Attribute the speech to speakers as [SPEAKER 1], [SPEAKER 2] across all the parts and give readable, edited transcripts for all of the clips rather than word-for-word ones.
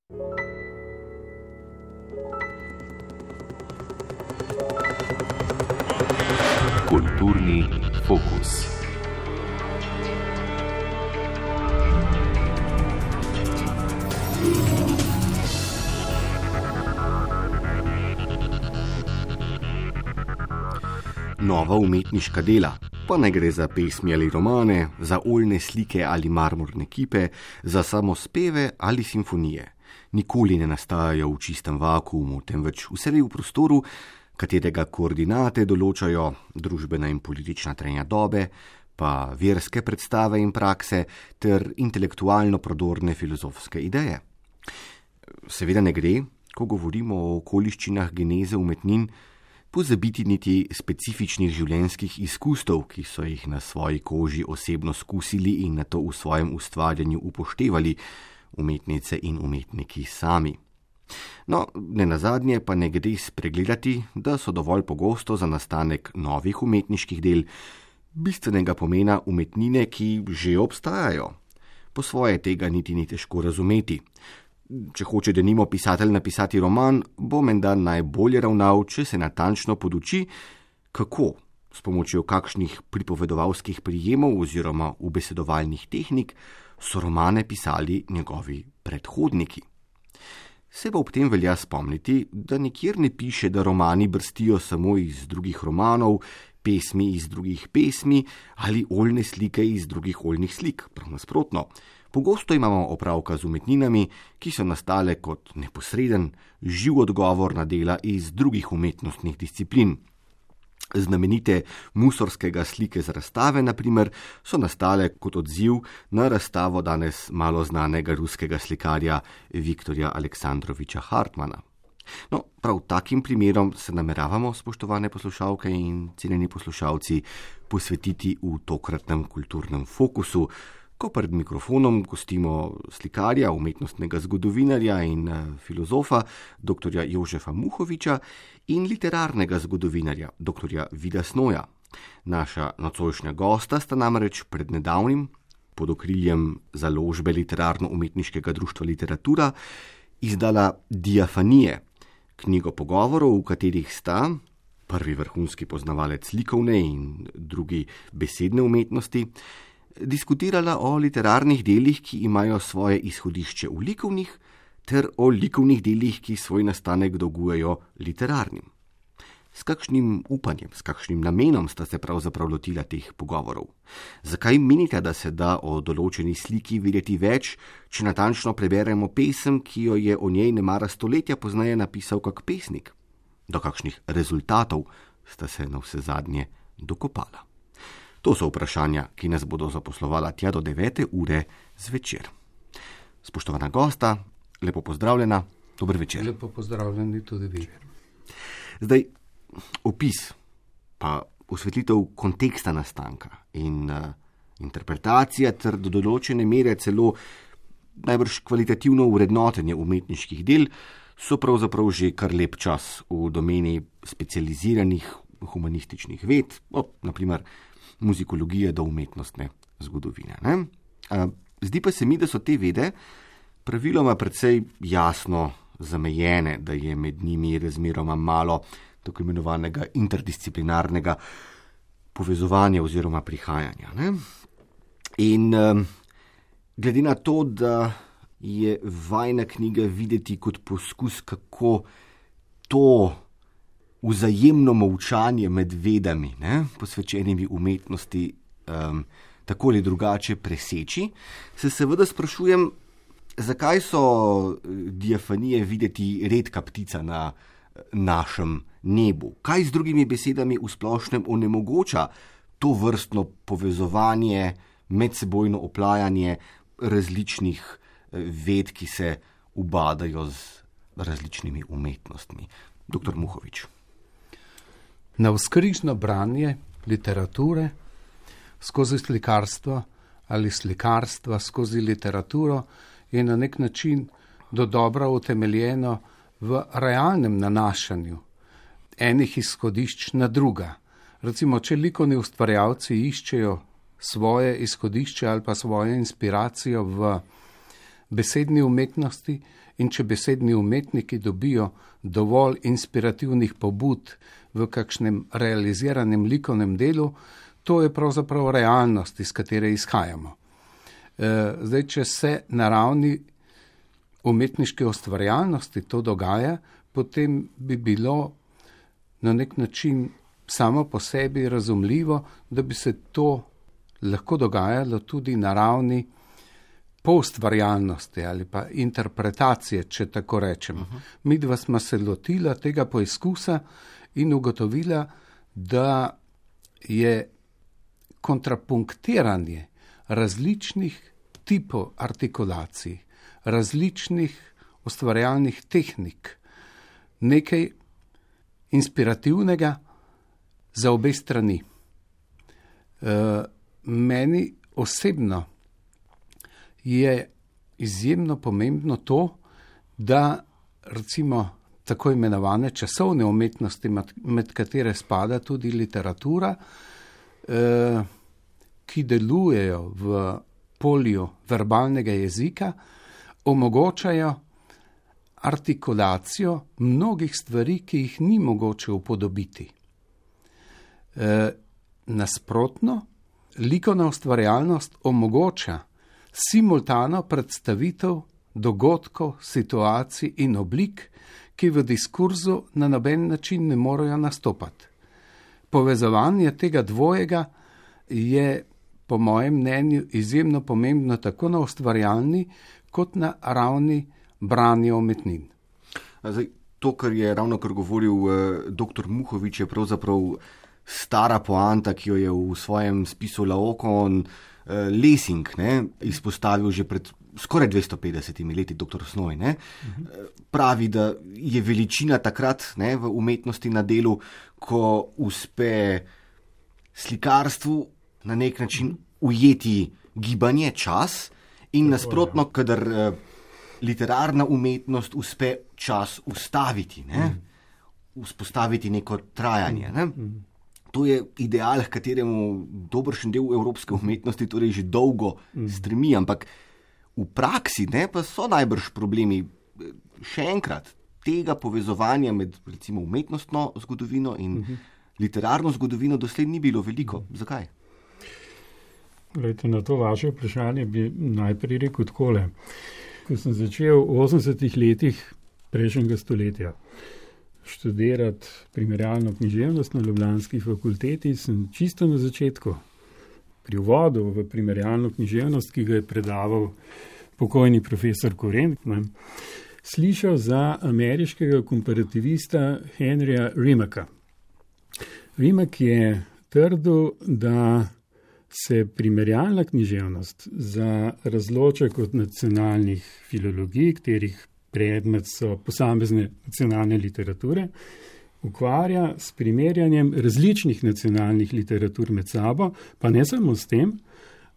[SPEAKER 1] Kulturni fokus. Nova umetniška dela, pa ne gre za pesmi ali romane, za oljne slike ali marmorne kipe, za samospeve ali simfonije. Nikoli ne nastajajo v čistem vakuumu, temveč vselej v prostoru, katerega koordinate določajo družbena in politična trenja dobe, pa verske predstave in prakse ter intelektualno prodorne filozofske ideje. Seveda ne gre, ko govorimo o okoliščinah geneze umetnin, pozabiti niti specifičnih življenjskih izkustev, ki so jih na svoji koži osebno skusili in nato v svojem ustvarjanju upoštevali umetnice in umetniki sami. No, nenazadnje pa ne gre spregledati, da so dovolj pogosto za nastanek novih umetniških del bistvenega pomena umetnine, ki že obstajajo. Po svoje tega niti ni težko razumeti. Če hoče denimo pisatelj napisati roman, bo menda najbolje ravnal, če se natančno poduči, kako, s pomočjo kakšnih pripovedovalskih prijemov oziroma ubesedovalnih tehnik, so romane pisali njegovi predhodniki. Se pa ob tem velja spomniti, da nikjer ne piše, da romani brstijo samo iz drugih romanov, pesmi iz drugih pesmi ali oljne slike iz drugih oljnih slik, prav nasprotno. Pogosto imamo opravka z umetninami, ki so nastale kot neposreden, živ odgovor na dela iz drugih umetnostnih disciplin. Znamenite Musorskega slike z razstave, na primer, so nastale kot odziv na razstavo danes malo znanega ruskega slikarja Viktorja Aleksandroviča Hartmana. No, prav takim primerom se nameravamo, spoštovane poslušalke in cenjeni poslušalci, posvetiti v tokratnem kulturnem fokusu, ko pred mikrofonom gostimo slikarja, umetnostnega zgodovinarja in filozofa dr. Jožefa Muhoviča in literarnega zgodovinarja dr. Vida Snoja. Naša nocojšnja gosta sta namreč pred nedavnim, pod okriljem založbe Literarno-umetniškega društva Literatura, izdala Diafanije, knjigo pogovorov, v katerih sta prvi vrhunski poznavalec likovne in drugi besedne umetnosti, diskutirala o literarnih delih, ki imajo svoje izhodišče v likovnih, ter o likovnih delih, ki svoj nastanek dolgujejo literarnim. S kakšnim upanjem, s kakšnim namenom sta se pravzaprav lotila teh pogovorov? Zakaj menite, da se da o določeni sliki videti več, če natančno preberemo pesem, ki jo je o njej nemara stoletja pozneje napisal kak pesnik? Do kakšnih rezultatov sta se navsezadnje dokopala? To so vprašanja, ki nas bodo zaposlovala tja do 9. ure zvečer. Spoštovana gosta, lepo pozdravljena, dober večer.
[SPEAKER 2] Lepo pozdravljeni tudi vi.
[SPEAKER 3] Zdaj, opis, pa osvetlitev konteksta nastanka in interpretacija ter do določene mere celo najbrž kvalitativno vrednotenje umetniških del so pravzaprav že kar lep čas v domeni specializiranih humanističnih ved, naprimer muzikologije do umetnostne zgodovine. Zdi pa se mi, da so te vede praviloma precej jasno zamejene, da je med njimi razmeroma malo tako imenovanega interdisciplinarnega povezovanja oziroma prihajanja. In glede na to, da je vajna knjiga videti kot poskus, kako to vzajemno molčanje med vedami, posvečenimi umetnosti, tako ali drugače preseči, se seveda sprašujem, zakaj so diafanije videti redka ptica na našem nebu? Kaj z drugimi besedami v splošnem onemogoča to vrstno povezovanje, medsebojno oplajanje različnih ved, ki se ubadajo z različnimi umetnostmi? Dr. Muhovič.
[SPEAKER 2] Navzkrižno branje literature skozi slikarstvo ali slikarstva skozi literaturo je na nek način dodobra utemeljeno v realnem nanašanju enih izhodišč na druga. Recimo, če likovni ustvarjalci iščejo svoje izhodišče ali pa svojo inspiracijo v besedni umetnosti in če besedni umetniki dobijo dovolj inspirativnih pobud v kakšnem realiziranem likovnem delu, to je pravzaprav realnost, iz katere izhajamo. Zdaj, če se na ravni umetniške ustvarjalnosti to dogaja, potem bi bilo na nek način samo po sebi razumljivo, da bi se to lahko dogajalo tudi na ravni poustvarjalnosti ali pa interpretacije, če tako rečem. Midva sva se lotila tega poizkusa in ugotovila, da je kontrapunktiranje različnih tipov artikulacij, različnih ustvarjalnih tehnik nekaj inspirativnega za obe strani. Meni osebno je izjemno pomembno to, da recimo tako imenovane časovne umetnosti, med katere spada tudi literatura, ki delujejo v polju verbalnega jezika, omogočajo artikulacijo mnogih stvari, ki jih ni mogoče upodobiti. Nasprotno, likovna ustvarjalnost omogoča simultano predstavitev dogodkov, situacij in oblik, ki v diskurzu na noben način ne morejo nastopati. Povezovanje tega dvojega je po mojem mnenju izjemno pomembno tako na ustvarjalni kot na ravni branja umetnin.
[SPEAKER 3] Zdaj, to, kar je ravno kar govoril dr. Muhovič, je pravzaprav stara poanta, ki jo je v svojem spisu Laokon Lessing izpostavil že pred skoraj 250 leti, dr. Snoj. Pravi, da je veličina takrat v umetnosti na delu, ko uspe slikarstvu na nek način ujeti gibanje, čas, in nasprotno, kadar literarna umetnost uspe čas ustaviti, vzpostaviti neko trajanje. To je ideal, k kateremu dobršen del evropske umetnosti torej že dolgo stremi, ampak v praksi pa so najbrž problemi. Še enkrat, tega povezovanja med recimo umetnostno zgodovino in literarno zgodovino doslej ni bilo veliko. Zakaj?
[SPEAKER 4] Glejte, na to vaše vprašanje bi najprej rekel takole. Ko sem začel v 80-ih letih prejšnjega stoletja študirati primerjalno književnost na ljubljanski fakulteti, sem čisto na začetku, pri uvodu v primerjalno književnost, ki ga je predaval pokojni profesor Koren, slišal za ameriškega komparativista Henryja Rimacka. Rimac je trdil, da se primerjalna književnost za razloček od nacionalnih filologij, katerih predmet so posamezne nacionalne literature, ukvarja s primerjanjem različnih nacionalnih literatur med sabo, pa ne samo s tem,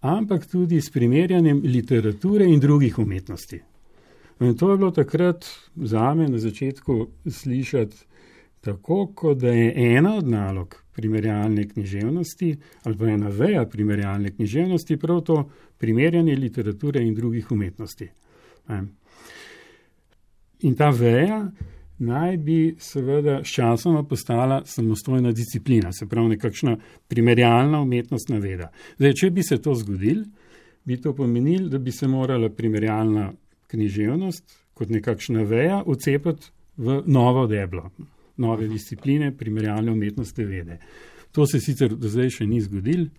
[SPEAKER 4] ampak tudi s primerjanjem literature in drugih umetnosti. In to je bilo takrat zame na začetku slišati tako, kot da je ena od nalog primerjalne književnosti ali pa ena veja primerjalne književnosti prav to primerjanje literature in drugih umetnosti. In ta veja naj bi seveda sčasoma postala samostojna disciplina, se pravi nekakšna primerjalna umetnostna veda. Zdaj, če bi se to zgodilo, bi to pomenilo, da bi se morala primerjalna književnost kot nekakšna veja vcepati v novo deblo, nove discipline primerjalne umetnostne vede. To se sicer do zdaj še ni zgodilo.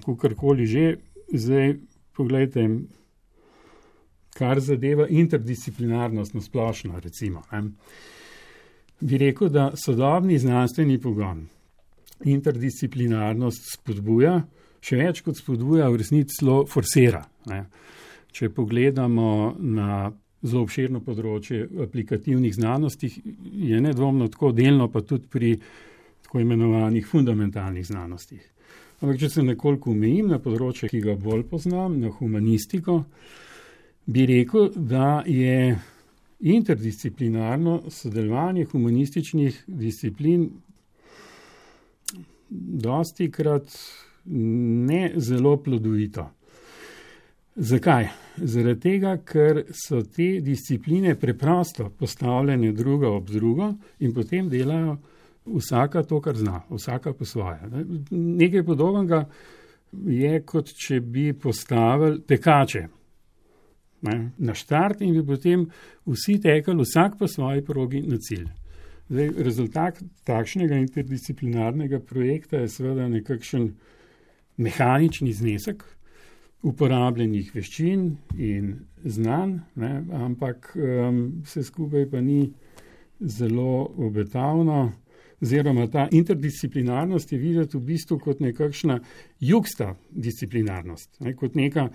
[SPEAKER 4] Kakorkoli že, zdaj poglejte, kar zadeva interdisciplinarnost na splošno, recimo. Bi rekel, da sodobni znanstveni pogon interdisciplinarnost spodbuja, še več kot spodbuja, v resnici celo forsira. Če pogledamo na zelo obširno področje aplikativnih znanostih, je nedvomno tako delno, pa tudi pri tako imenovanih fundamentalnih znanostih. Ampak če se nekoliko omejim na področje, ki ga bolj poznam, na humanistiko, bi rekel, da je interdisciplinarno sodelovanje humanističnih disciplin dostikrat ne zelo plodovito. Zakaj? Zaradi tega, ker so te discipline preprosto postavljene druga ob drugo in potem delajo vsaka to, kar zna, vsaka po svoje. Nekaj podobnega je, kot če bi postavili tekače na štart in bi potem vsi tekali vsak po svoji progi na cilj. Zdaj, rezultat takšnega interdisciplinarnega projekta je seveda nekakšen mehanični znesek uporabljenih veščin in znanj, ampak vse skupaj pa ni zelo obetavno, oziroma ta interdisciplinarnost je videti v bistvu kot nekakšna jugsta disciplinarnost, kot neka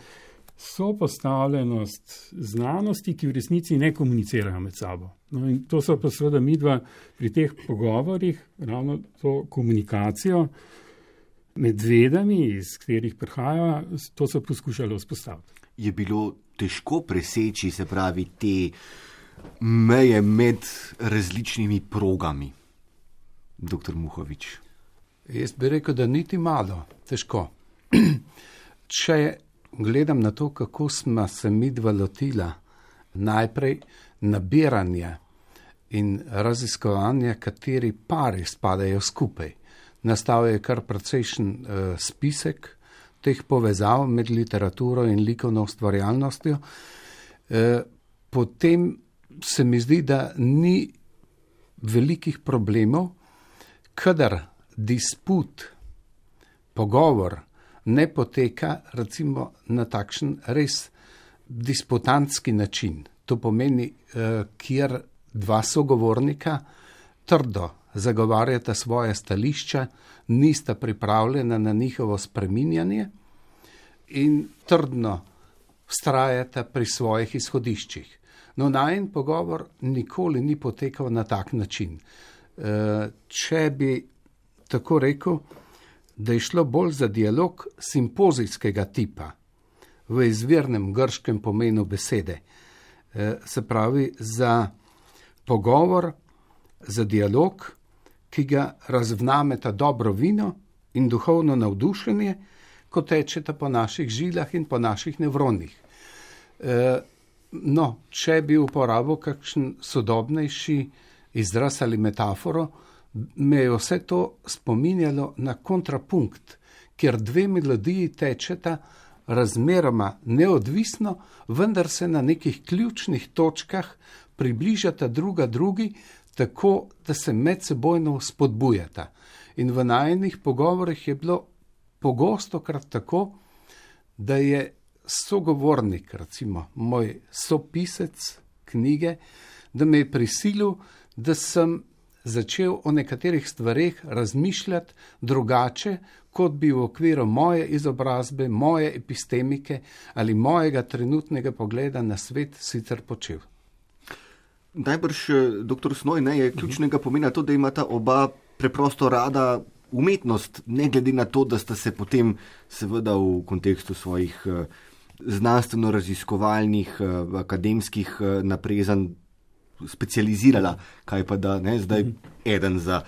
[SPEAKER 4] sopostavljenost znanosti, ki v resnici ne komunicirajo med sabo. No, in to so pa seveda midva pri teh pogovorih, ravno to komunikacijo med vedami, iz katerih prihajajo, to so poskušali vzpostaviti.
[SPEAKER 3] Je bilo težko preseči, se pravi, te meje med različnimi progami, dr. Muhovič?
[SPEAKER 2] Jaz bi rekel, da niti malo težko. Če gledam na to, kako smo se midva lotila najprej nabiranja in raziskovanja, kateri pari spadajo skupaj. Nastal je kar precejšen spisek teh povezav med literaturo in likovno ustvarjalnostjo. Potem se mi zdi, da ni velikih problemov, kadar disput, pogovor ne poteka recimo na takšen res disputantski način. To pomeni, kjer dva sogovornika trdo zagovarjata svoje stališča, nista pripravljena na njihovo spreminjanje in trdno vztrajata pri svojih izhodiščih. No, najin pogovor nikoli ni potekal na tak način. Če bi tako rekel, da je šlo bolj za dialog simpozijskega tipa, v izvirnem grškem pomenu besede, se pravi za pogovor, za dialog, ki ga razvnameta dobro vino in duhovno navdušenje, ko tečeta po naših žilah in po naših nevronih. No, če bi uporabil kakšen sodobnejši izraz ali metaforo, me je vse to spominjalo na kontrapunkt, kjer dve melodiji tečeta razmeroma neodvisno, vendar se na nekih ključnih točkah približata druga drugi, tako da se medsebojno spodbujata. In v najinih pogovorih je bilo pogostokrat tako, da je sogovornik, recimo moj sopisec knjige, da me je prisilil, da sem začel o nekaterih stvareh razmišljati drugače, kot bi v okviru moje izobrazbe, moje epistemike ali mojega trenutnega pogleda na svet sicer počel.
[SPEAKER 3] Najbrž, dr. Snoj, je ključnega pomena to, da imata oba preprosto rada umetnost, ne glede na to, da sta se potem seveda v kontekstu svojih znanstveno-raziskovalnih, akademskih naprezanj specializirala, kaj pa da zdaj eden za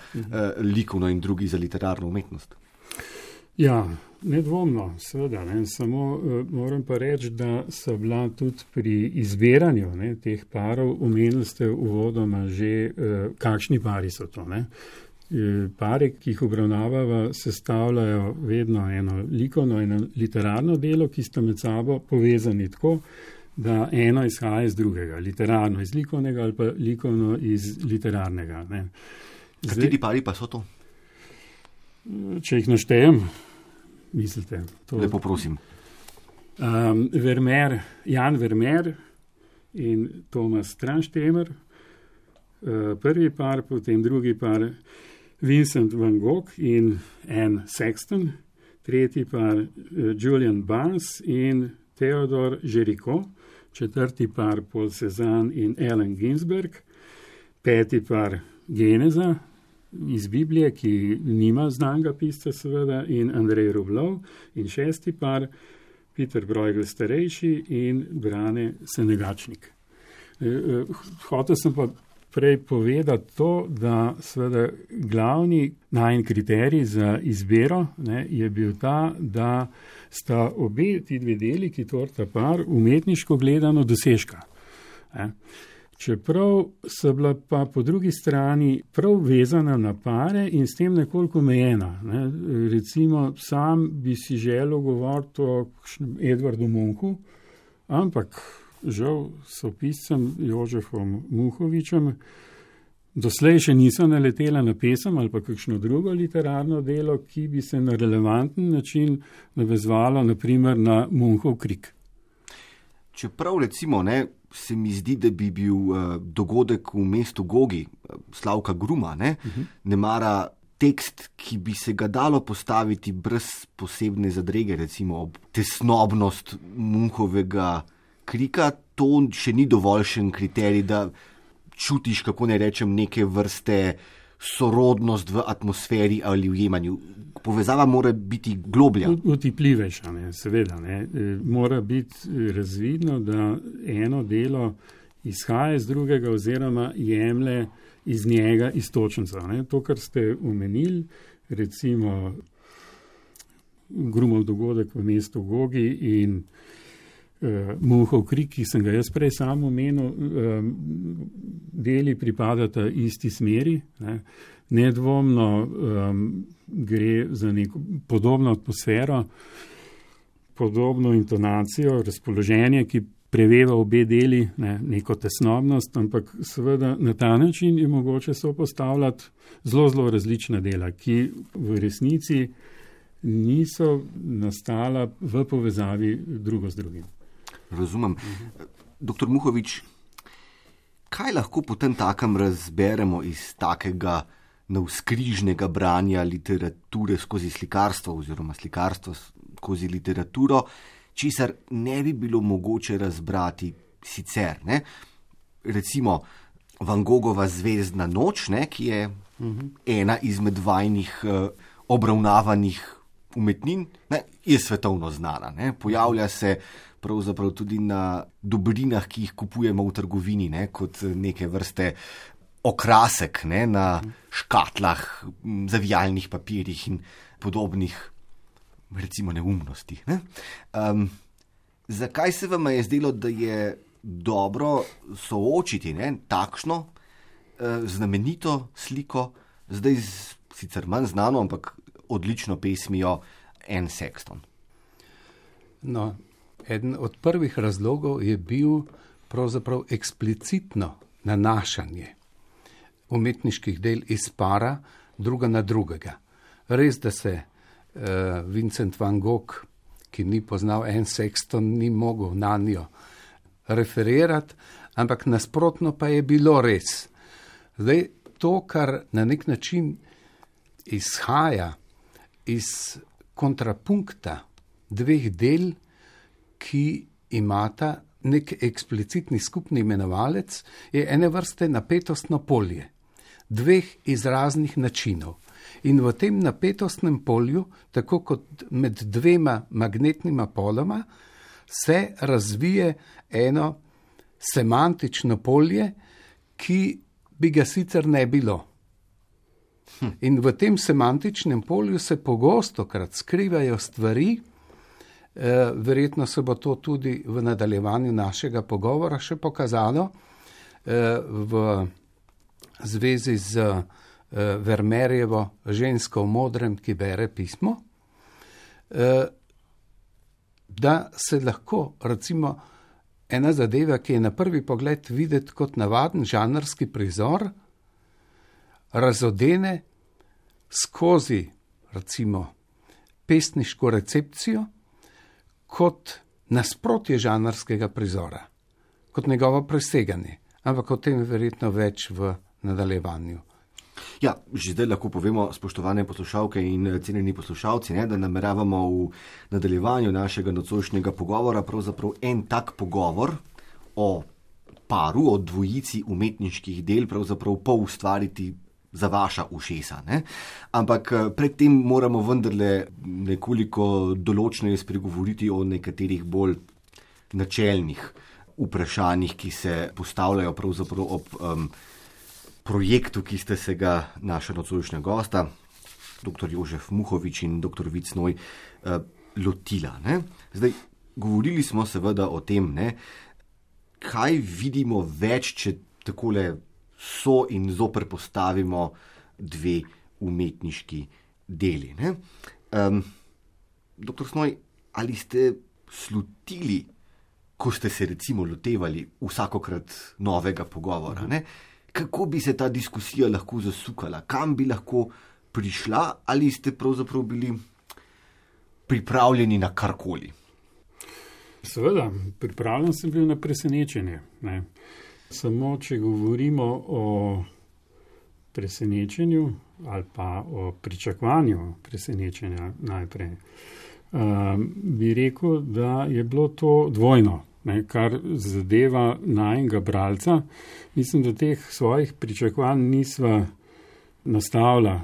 [SPEAKER 3] likovno in drugi za literarno umetnost.
[SPEAKER 4] Ja, nedvomno, seveda. Samo moram pa reči, da so bila tudi pri izbiranju teh parov, omenili ste uvodoma že, kakšni pari so to. Pare, ki jih obravnavava, sestavljajo vedno eno likovno in literarno delo, ki sta med sabo povezani tako, da eno izhaja iz drugega, literarno iz likovnega ali pa likovno iz literarnega.
[SPEAKER 3] Kateri pari pa so to?
[SPEAKER 4] Če jih naštejem, mislite? To,
[SPEAKER 3] lepo prosim.
[SPEAKER 4] Jan Vermeer in Tomas Transtemer, prvi par, potem drugi par Vincent van Gogh in Anne Sexton, tretji par Julian Barnes in Theodor Géricault, četrti par Paul Cézanne in Allen Ginsberg, peti par Geneza iz Biblije, ki nima znanega pisca seveda, in Andrej Rublev, in šesti par Peter Bruegel starejši in Brane Senegačnik. Hotel sem pa prej povedati to, da seveda glavni najin kriterij za izbiro je bil ta, da sta obe ti dve deli, ki tvorita par, umetniško gledano dosežka. Čeprav so bila pa po drugi strani prav vezana na pare in s tem nekoliko omejena. Recimo, sam bi si želel govoriti o Edvardu Munchu, ampak žal s piscem Jožefom Muhovičem doslej še niso naletela na pesem ali pa kakšno drugo literarno delo, ki bi se na relevanten način navezvalo naprimer na Munchov Krik.
[SPEAKER 3] Čeprav recimo se mi zdi, da bi bil dogodek v mestu Gogi, Slavka Gruma, ne mara tekst, ki bi se ga dalo postaviti brez posebne zadrege, recimo ob tesnobnost Munchovega Krika, to še ni dovoljšen kriterij, da čutiš, kako ne rečem, neke vrste sorodnost v atmosferi ali v jemanju. Povezava mora biti globlja.
[SPEAKER 4] Utipljivejša, seveda. Mora biti razvidno, da eno delo izhaja iz drugega oziroma jemlje iz njega istočenca. To, kar ste omenili, recimo Grumov dogodek v mestu Gogi in Munchov Krik, ki sem ga jaz prej sam omenil, deli pripadata isti smeri. Nedvomno gre za neko podobno atmosfero, podobno intonacijo, razpoloženje, ki preveva obe deli, neko tesnobnost, ampak seveda na ta način je mogoče sopostavljati zelo različna dela, ki v resnici niso nastala v povezavi drugo z drugim.
[SPEAKER 3] Razumem. Doktor Muhovič, kaj lahko potem takem razberemo iz takega navzkrižnega branja literature skozi slikarstvo oziroma slikarstvo skozi literaturo, česar ne bi bilo mogoče razbrati sicer? Recimo Van Gogova Zvezdna noč, ki je ena izmed vajnih obravnavanih umetnin, je svetovno znana. Pojavlja se pravzaprav tudi na dobrinah, ki jih kupujemo v trgovini, kot neke vrste okrasek na škatlah, zavijalnih papirjih in podobnih, recimo, neumnosti. Zakaj se vam je zdelo, da je dobro soočiti takšno znamenito sliko, zdaj sicer manj znano, ampak odlično pesmijo Anne Sexton?
[SPEAKER 2] No, eden od prvih razlogov je bil pravzaprav eksplicitno nanašanje umetniških del iz para druga na drugega. Res, da se Vincent van Gogh, ki ni poznal Anne Sexton, ni mogel na njo referirati, ampak nasprotno pa je bilo res. Zdaj, to, kar na nek način izhaja iz kontrapunkta dveh del, ki imata nek eksplicitni skupni imenovalec, je ene vrste napetostno polje dveh izraznih načinov. In v tem napetostnem polju, tako kot med dvema magnetnima poloma, se razvije eno semantično polje, ki bi ga sicer ne bilo. In v tem semantičnem polju se pogostokrat skrivajo stvari, verjetno se bo to tudi v nadaljevanju našega pogovora še pokazalo, v zvezi z Vermeerjevo žensko v modrem, ki bere pismo, da se lahko, recimo, ena zadeva, ki je na prvi pogled videti kot navaden žanrski prizor, razodene skozi, recimo, pesniško recepcijo kot nasprotje žanrskega prizora, kot njegovo preseganje. Ampak o tem verjetno več v nadaljevanju.
[SPEAKER 3] Ja, že zdaj lahko povemo, spoštovane poslušalke in cenjeni poslušalci, da nameravamo v nadaljevanju našega nocojšnjega pogovora pravzaprav en tak pogovor o paru, o dvojici umetniških del pravzaprav poustvariti za vaša ušesa. Ampak predtem moramo vendarle nekoliko določneje spregovoriti o nekaterih bolj načelnih vprašanjih, ki se postavljajo pravzaprav ob projektu, ki ste se ga naša nocojšnja gosta, dr. Jožef Muhovič in dr. Vid Snoj, lotila. Ne? Zdaj, govorili smo seveda o tem, ne, kaj vidimo več, če takole so in zoper postavimo dve umetniški deli. Ne? Doktor Snoj, ali ste slutili, ko ste se recimo lotevali vsakokrat novega pogovora, ne? Kako bi se ta diskusija lahko zasukala, kam bi lahko prišla, ali ste pravzaprav bili pripravljeni na karkoli?
[SPEAKER 4] Seveda, pripravljen sem bil na presenečenje. Ne? Samo, če govorimo o presenečenju ali pa o pričakovanju presenečenja najprej, bi rekel, da je bilo to dvojno, ne, kar zadeva najnega bralca. Mislim, da teh svojih pričakovanj nisva nastavila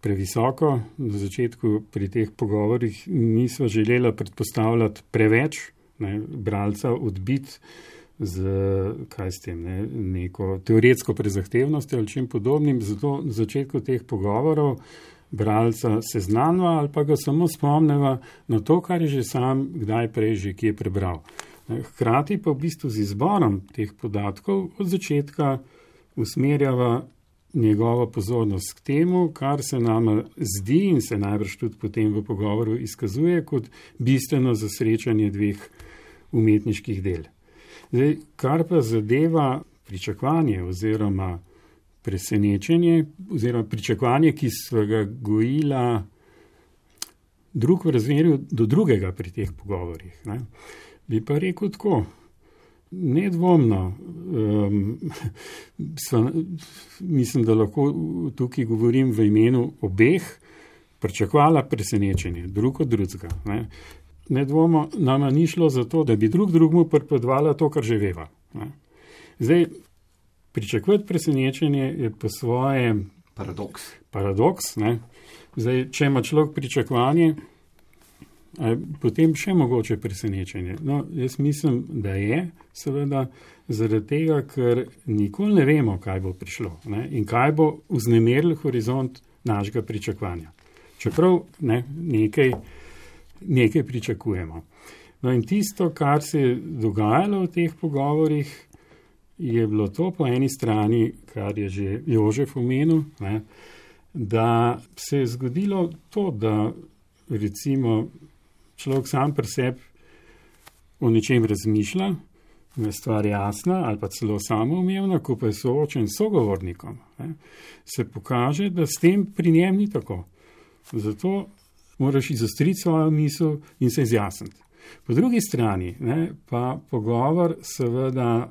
[SPEAKER 4] previsoko. Na začetku pri teh pogovorih nisva želela predpostavljati preveč, ne, bralca odbiti z neko teoretsko prezahtevnostjo ali čim podobnim. Zato na začetku teh pogovorov bralca seznanva ali pa ga samo spomneva na to, kar je že sam kdaj prej že kje prebral. Hkrati pa v bistvu z izborom teh podatkov od začetka usmerjava njegovo pozornost k temu, kar se nama zdi in se najbrž tudi potem v pogovoru izkazuje kot bistveno za srečanje dveh umetniških del. Zdaj, kar pa zadeva pričakovanje oziroma presenečenje, oziroma pričakovanje, ki sva ga gojila drug v razmerju do drugega pri teh pogovorih, ne, bi pa rekel tako, nedvomno, mislim, da lahko tukaj govorim v imenu obeh, pričakovala presenečenje, drug od drugega. Nedvomno nama ni šlo za to, da bi drugmu pripovedovala to, kar že veva. Ne. Zdaj, pričakovati presenečenje je po svoje paradoks. Ne. Zdaj, če ima človek pričakovanje, potem še mogoče presenečenje. No, jaz mislim, da je, seveda, zaradi tega, ker nikoli ne vemo, kaj bo prišlo, ne, in kaj bo vznemiril horizont našega pričakovanja. Čeprav ne, nekaj pričakujemo. No in tisto, kar se je dogajalo v teh pogovorih, je bilo to po eni strani, kar je že Jožef omenil, ne, da se je zgodilo to, da recimo človek sam pri sebi o nečem razmišlja, je stvar jasna ali pa celo samoumevna, ko pa je soočen s sogovornikom, ne, se pokaže, da s tem pri njem ni tako. Zato moraš izostriti svojo misel in se izjasniti. Po drugi strani, ne, pa pogovor seveda,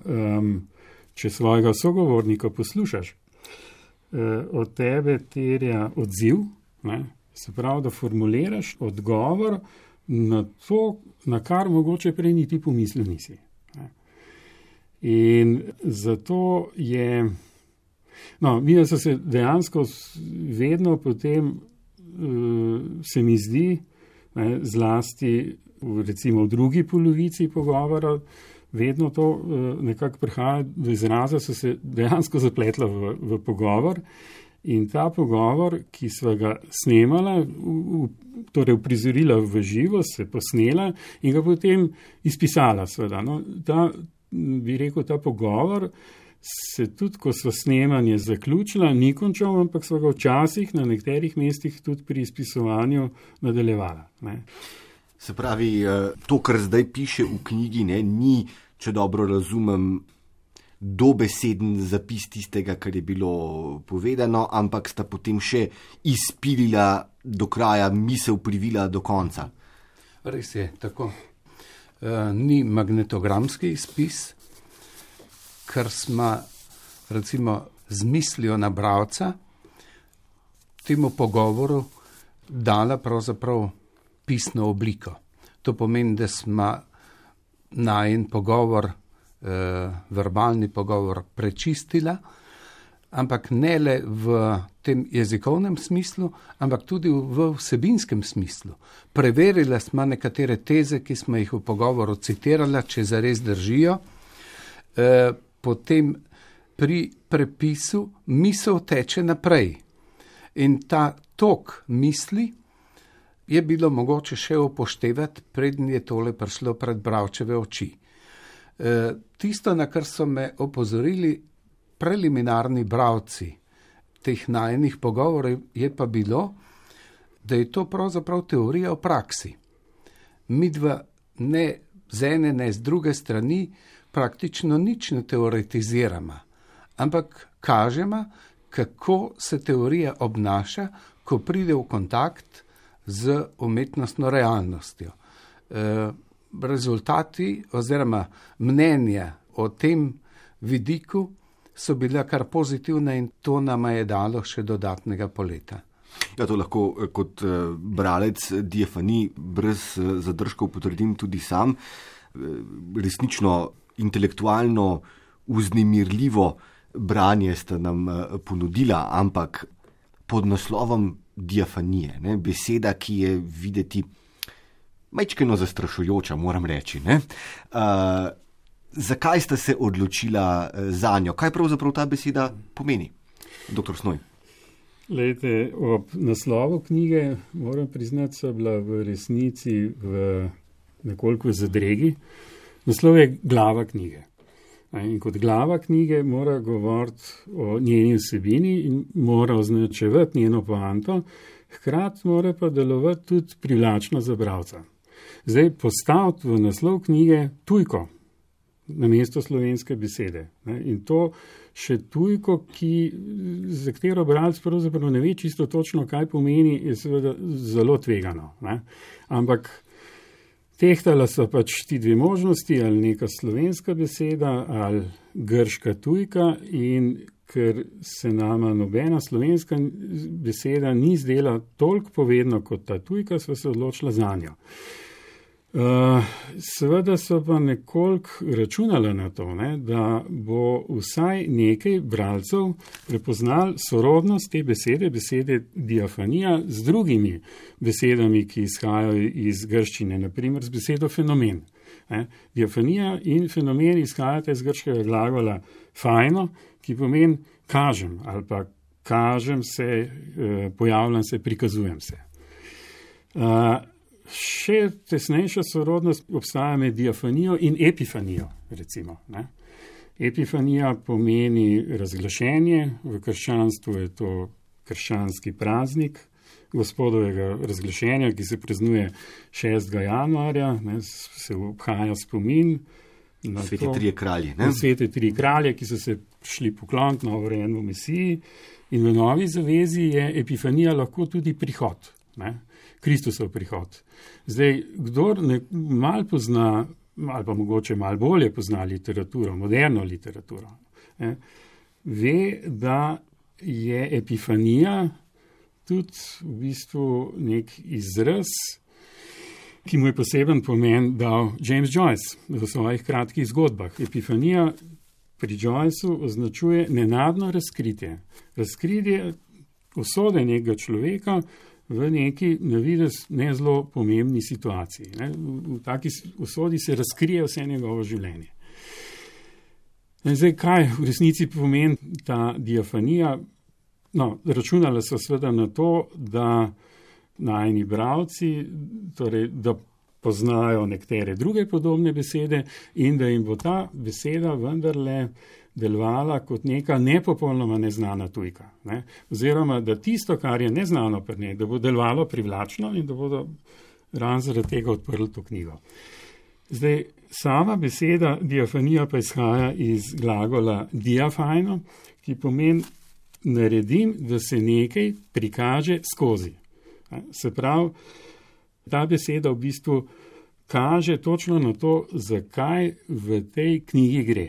[SPEAKER 4] če svojega sogovornika poslušaš, od tebe terja odziv, ne, se pravi, da formuliraš odgovor na to, na kar mogoče prej niti pomislil nisi. Ne. In zato je, no, mi so se dejansko vedno potem, se mi zdi, ne, zlasti recimo v drugi polovici pogovora, vedno to nekako prihaja do izraza, so se dejansko zapletla v pogovor in ta pogovor, ki sva ga snemala, torej uprizorila v živo, se posnela in ga potem izpisala seveda. No, bi rekel, ta pogovor se tudi, ko sva snemanje zaključila, ni končal, ampak sva ga včasih na nekaterih mestih tudi pri izpisovanju nadaljevala. Ne.
[SPEAKER 3] Se pravi, to, kar zdaj piše v knjigi, ne, ni, če dobro razumem, dobeseden zapis tistega, kar je bilo povedano, ampak sta potem še izpilila do kraja, misel privila do konca.
[SPEAKER 2] Res je, tako. Ni magnetogramski izpis, ker smo recimo z mislijo na bralca temu pogovoru dala pravzaprav pisno obliko. To pomeni, da smo najin pogovor, verbalni pogovor prečistila, ampak ne le v tem jezikovnem smislu, ampak tudi v vsebinskem smislu. Preverila smo nekatere teze, ki smo jih v pogovoru citirala, če zares držijo. Potem pri prepisu misel teče naprej. In ta tok misli je bilo mogoče še upoštevati, preden je tole prišlo pred bralčeve oči. Tisto, na kar so me opozorili preliminarni bralci teh najinih pogovorov, je pa bilo, da je to pravzaprav teorija o praksi. Midva ne z ene, ne z druge strani praktično nič ne teoretiziramo, ampak kažemo, kako se teorija obnaša, ko pride v kontakt z umetnostno realnostjo. Rezultati oziroma mnenja o tem vidiku so bila kar pozitivna in to nama je dalo še dodatnega poleta.
[SPEAKER 3] Ja, to lahko kot bralec diafanij brez zadržkov potrdim tudi sam. Resnično intelektualno vznemirljivo branje sta nam ponudila, ampak pod naslovom diafanije, ne? Beseda, ki je videti majčkeno zastrašujoča, moram reči. Zakaj sta se odločila za njo? Kaj pravzaprav ta beseda pomeni? Dr. Snoj.
[SPEAKER 4] Lejte, ob naslovu knjige, moram priznati, so bila v resnici v nekoliko zadregi. Naslov je glava knjige. In kot glava knjige mora govoriti o njeni vsebini in mora označevati njeno poanto, hkrati mora pa delovati tudi privlačno za bralca. Zdaj postaviti v naslov knjige tujko namesto slovenske besede. In to še tujko, za katero bralec pravzaprav ne ve čisto točno, kaj pomeni, je seveda zelo tvegano. Ampak tehtala so pač ti dve možnosti, ali neka slovenska beseda, ali grška tujka, in ker se nama nobena slovenska beseda ni zdela toliko povedna kot ta tujka, sva se odločila za njo. Seveda so pa nekoliko računala na to, da bo vsaj nekaj bralcev prepoznal sorodnost te besede diafanija z drugimi besedami, ki izhajajo iz grščine, naprimer z besedo fenomen. Diafanija in fenomen izhajata iz grškega glagola fajno, ki pomeni kažem ali pa kažem se, pojavljam se, prikazujem se. Še tesnejša sorodnost obstaja med diafanijo in epifanijo, recimo. Epifanija pomeni razglašenje, v krščanstvu je to krščanski praznik Gospodovega razglašenja, ki se praznuje 6. januarja, se obhaja spomin na
[SPEAKER 3] Svete trije kralji.
[SPEAKER 4] Svete trije kralje, ki so se šli pokloniti novorojenemu Mesiji, in v Novi zavezi je epifanija lahko tudi prihod, Kristusov prihod. Zdaj, kdor malo pozna, ali pa mogoče malo bolje pozna literaturo, moderno literaturo, ve, da je epifanija tudi v bistvu nek izraz, ki mu je poseben pomen dal James Joyce v svojih kratkih zgodbah. Epifanija pri Joyceu označuje nenadno razkritje. Razkritje usode nekega človeka v neki navidez ne zelo pomembni situaciji. V taki usodi se razkrije vse njegovo življenje. In zdaj, kaj v resnici pomeni ta diafanija? Računala so seveda na to, da najini bralci, torej, da poznajo nekatere druge podobne besede in da jim bo ta beseda vendarle delovala kot neka nepopolnoma neznana tujka. Oziroma, da tisto, kar je neznano pri njej, da bo delovalo privlačno in da bodo ravno zaradi tega odprli to knjigo. Zdaj, sama beseda diafanija pa izhaja iz glagola diafajno, ki pomeni naredim, da se nekaj prikaže skozi. Se pravi, ta beseda v bistvu kaže točno na to, zakaj v tej knjigi gre.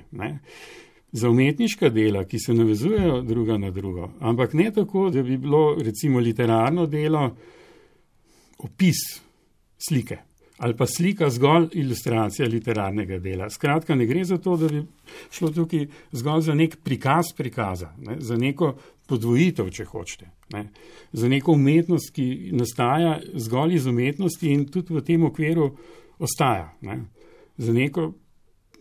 [SPEAKER 4] Za umetniška dela, ki se navezujejo druga na drugo, ampak ne tako, da bi bilo recimo literarno delo opis slike ali pa slika zgolj ilustracija literarnega dela. Skratka, ne gre za to, da bi šlo tukaj zgolj za nek prikaz prikaza, za neko podvojitev, če hočete, za neko umetnost, ki nastaja zgolj iz umetnosti in tudi v tem okviru ostaja, za neko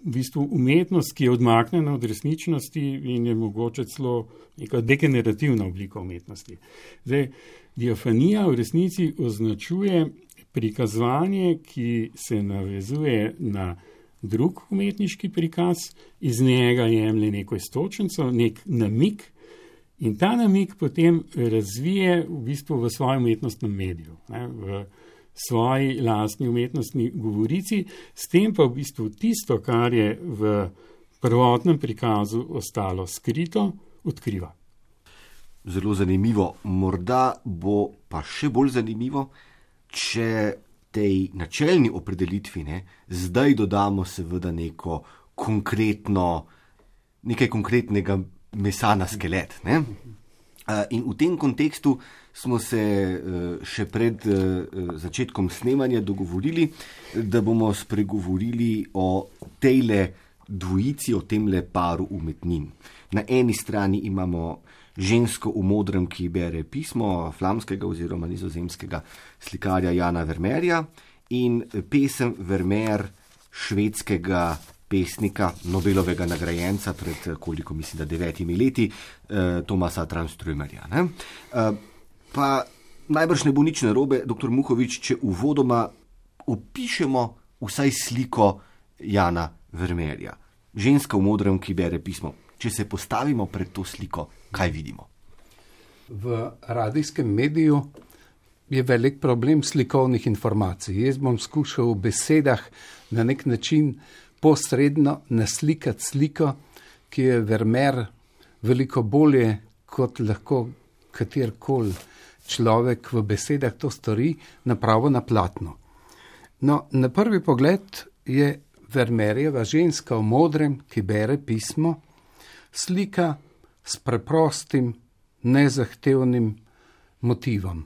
[SPEAKER 4] v bistvu umetnost, ki je odmaknjena od resničnosti in je mogoče celo neka degenerativna oblika umetnosti. Zdaj, diafanija v resnici označuje prikazovanje, ki se navezuje na drug umetniški prikaz, iz njega jemlje neko iztočnico, nek namig in ta namig potem razvije v bistvu v svojem umetnostnem mediju, v svoji lastni umetnostni govorici, s tem pa v bistvu tisto, kar je v prvotnem prikazu ostalo skrito, odkriva.
[SPEAKER 3] Zelo zanimivo. Morda bo pa še bolj zanimivo, če tej načelni opredelitvi zdaj dodamo seveda nekaj konkretnega mesa na skelet. In v tem kontekstu smo se še pred začetkom snemanja dogovorili, da bomo spregovorili o tejle dvojici, o temle paru umetnin. Na eni strani imamo žensko v modrem, ki bere pismo flamskega oziroma nizozemskega slikarja Jana Vermeerja in pesem Vermeer švedskega pesnika, Nobelovega nagrajenca pred koliko, mislim, da 9 leti, Thomasa Tranströmerja. Pa najbrž ne bo nič narobe, dr. Muhovič, če uvodoma opišemo vsaj sliko Jana Vermeerja. Ženska v modrem, ki bere pismo. Če se postavimo pred to sliko, kaj vidimo?
[SPEAKER 2] V radijskem mediju je velik problem slikovnih informacij. Jaz bom skušal v besedah na nek način posredno naslikati sliko, ki je Vermeer veliko bolje, kot lahko katerkoli človek v besedah to stori, napravo na platno. No, na prvi pogled je Vermeerjeva ženska v modrem, ki bere pismo, slika s preprostim, nezahtevnim motivom.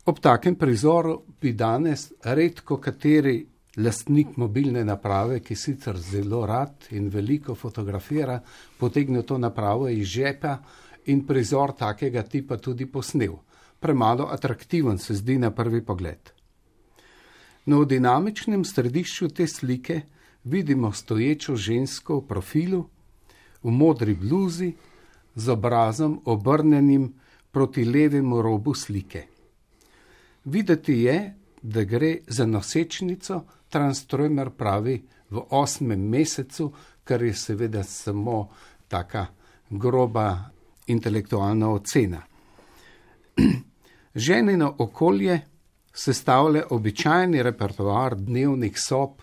[SPEAKER 2] Ob takem prizoru bi danes redko kateri lastnik mobilne naprave, ki sicer zelo rad in veliko fotografira, potegnil to napravo iz žepa in prizor takega tipa tudi posnel. Premalo atraktiven se zdi na prvi pogled. No, v dinamičnem središču te slike vidimo stoječo žensko v profilu, v modri bluzi, z obrazom obrnjenim proti levemu robu slike. Videti je, da gre za nosečnico, Tranströmer pravi v 8. mesecu, kar je seveda samo taka groba intelektualna ocena. Ženino okolje sestavlja običajni repertoar dnevnih sob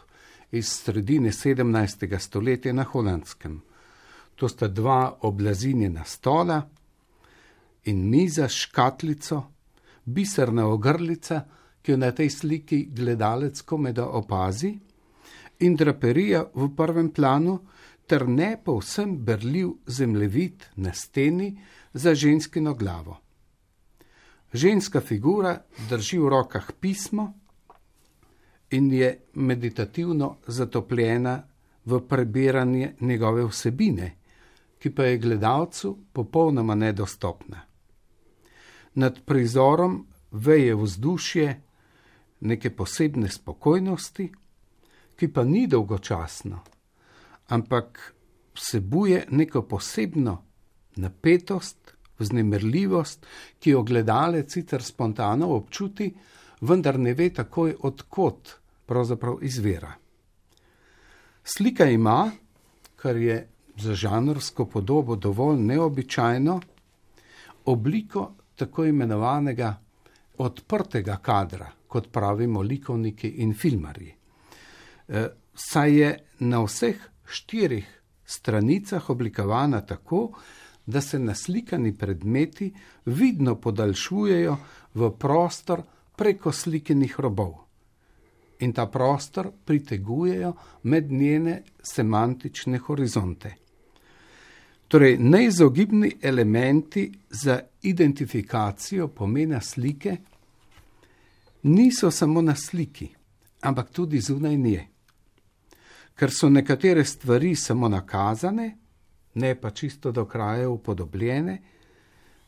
[SPEAKER 2] iz sredine 17. stoletja na Holandskem. To sta 2 oblazinjena stola in miza s škatlico, biserna ogrlica, ki jo na tej sliki gledalec komajda opazi, in draperija v prvem planu ter ne povsem berljiv zemljevid na steni za ženskino glavo. Ženska figura drži v rokah pismo in je meditativno zatopljena v prebiranje njegove vsebine, ki pa je gledalcu popolnoma nedostopna. Nad prizorom veje vzdušje neke posebne spokojnosti, ki pa ni dolgočasno, ampak vsebuje neko posebno napetost, vznemirljivost, ki jo gledalec sicer spontano občuti, vendar ne ve takoj, od kod pravzaprav izvira. Slika ima, kar je za žanrsko podobo dovolj neobičajno, obliko tako imenovanega odprtega kadra, kot pravimo likovniki in filmarji. Saj je na vseh 4 stranicah oblikovana tako, da se naslikani predmeti vidno podaljšujejo v prostor preko slikenih robov. In ta prostor pritegujejo med njene semantične horizonte. Torej, neizogibni elementi za identifikacijo pomena slike niso samo na sliki, ampak tudi zunaj nje. Ker so nekatere stvari samo nakazane, ne pa čisto do kraja upodobljene,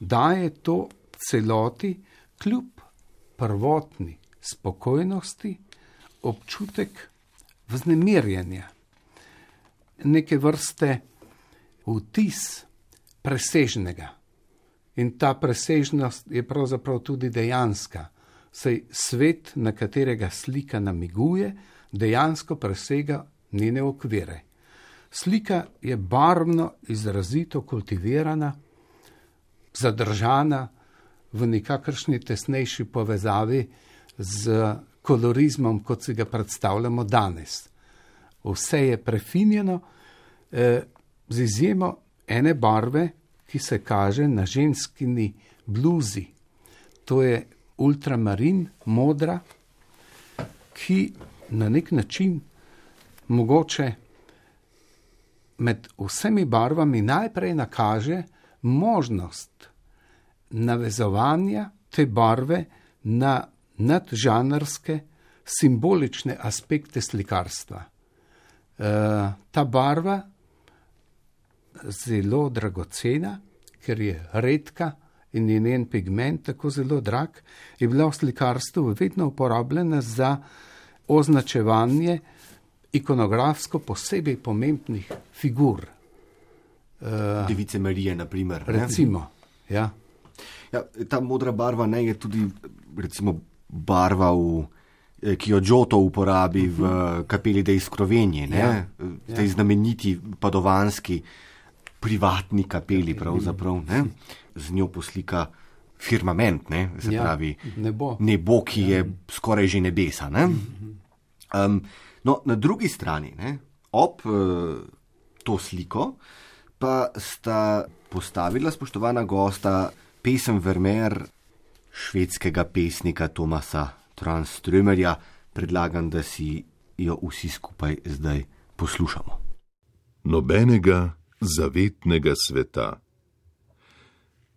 [SPEAKER 2] daje to celoti kljub prvotni spokojnosti občutek vznemirjenja. neke vrste vtis presežnega. In ta presežnost je pravzaprav tudi dejanska. Saj svet, na katerega slika namiguje, dejansko presega njene okvire. Slika je barvno, izrazito kultivirana, zadržana v nekakršni tesnejši povezavi z kolorizmom, kot si ga predstavljamo danes. Vse je prefinjeno, z izjemo ene barve, ki se kaže na ženskini bluzi. To je ultramarin, modra, ki na nek način mogoče med vsemi barvami najprej nakaže možnost navezovanja te barve na nadžanrske, simbolične aspekte slikarstva. Ta barva, zelo dragocena, ker je redka in je njen pigment tako zelo drag, je bila v slikarstvu vedno uporabljena za označevanje ikonografsko posebej pomembnih figur.
[SPEAKER 3] Device Marije, na primer.
[SPEAKER 2] Recimo, ja.
[SPEAKER 3] Ja, ta modra barva ne je tudi, recimo, barva, ki jo Giotto uporabi v kapeli dei Scrovegni, tej znameniti padovanski privatni kapeli, pravzaprav, ne? Z njo poslika firmament, ne? Se pravi, nebo, ki je skoraj že nebesa. Ne? No, na drugi strani, ne, ob to sliko, pa sta postavila spoštovana gosta pesem Vermeer švedskega pesnika Thomasa Tranströmerja. Predlagam, da si jo vsi skupaj zdaj poslušamo.
[SPEAKER 5] Nobenega zavetnega sveta.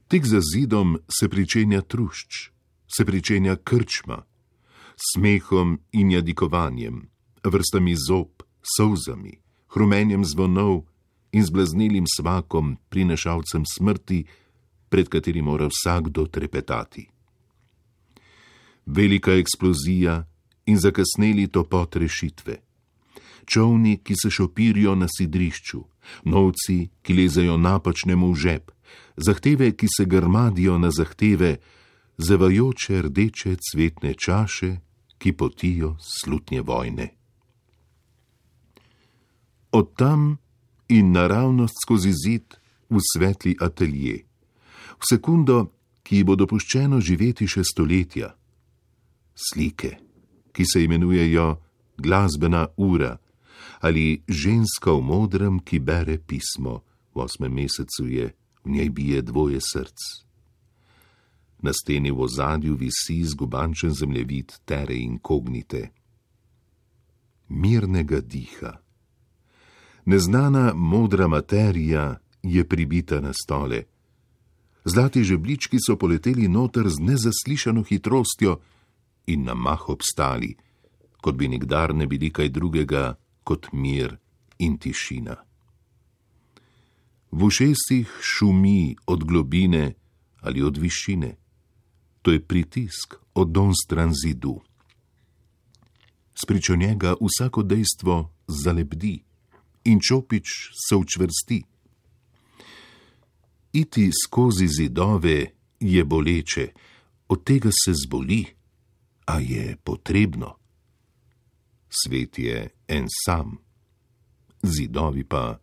[SPEAKER 5] Tik za zidom se pričenja trušč, se pričenja krčma, smehom in jadikovanjem, vrstami zob, solzami, hrumenjem zvonov in zblaznelim svakom prinašalcem smrti, pred katerim mora vsakdo trepetati. Velika eksplozija in zakasneli topot rešitve. Čovni, ki se šopirijo na sidrišču, novci, ki lezajo napačnemu v žep, zahteve, ki se grmadijo na zahteve, zevajoče rdeče cvetne čaše, ki potijo slutnje vojne. Od tam in naravnost skozi zid v svetli atelje, v sekundo, ki ji bo dopuščeno živeti še stoletja. Slike, ki se imenujejo glasbena ura, ali ženska v modrem, ki bere pismo, v 8. mesecu je, v njej bije 2 src. Na steni v ozadju visi zgubančen zemljevid Terre Incognite. Mirnega diha. Neznana modra materija je pribita na stole. Zlati žebljički so poleteli noter z nezaslišano hitrostjo in na mah obstali, kot bi nikdar ne bili kaj drugega kot mir in tišina. V ušesih šumi od globine ali od višine. To je pritisk od donstran zidu. Spričo njega vsako dejstvo zalebdi in čopič se učvrsti. Iti skozi zidove je boleče, od tega se zboli, a je potrebno. Svet je en sam, zidovi pa.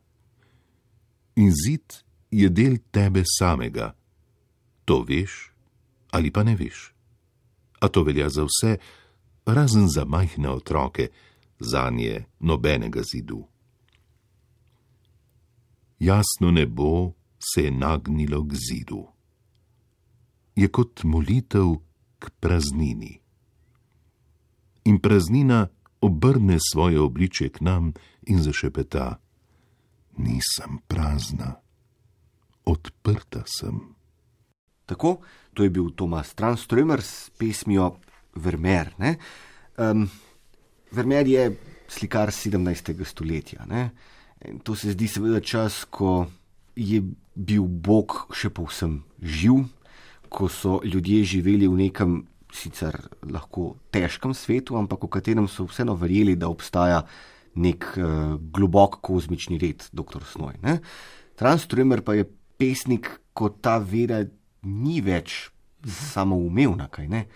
[SPEAKER 5] In zid je del tebe samega. To veš ali pa ne veš. A to velja za vse, razen za majhne otroke, zanje nobenega zidu. Jasno nebo se je nagnilo k zidu. Je kot molitev k praznini. In praznina obrne svoje obličje k nam in zašepeta: nisem prazna, odprta sem.
[SPEAKER 3] Tako, to je bil Thomas Tranströmer s pesmijo Vermeer. Vermeer je slikar 17. stoletja. Ne? To se zdi seveda čas, ko je bil Bog še povsem živ, ko so ljudje živeli v nekem sicer lahko težkem svetu, ampak v katerem so vseeno verjeli, da obstaja nek globok kozmični red, dr. Snoj. Ne? Tranströmer pa je pesnik, ko ta vera ni več samoumevna, kaj ne?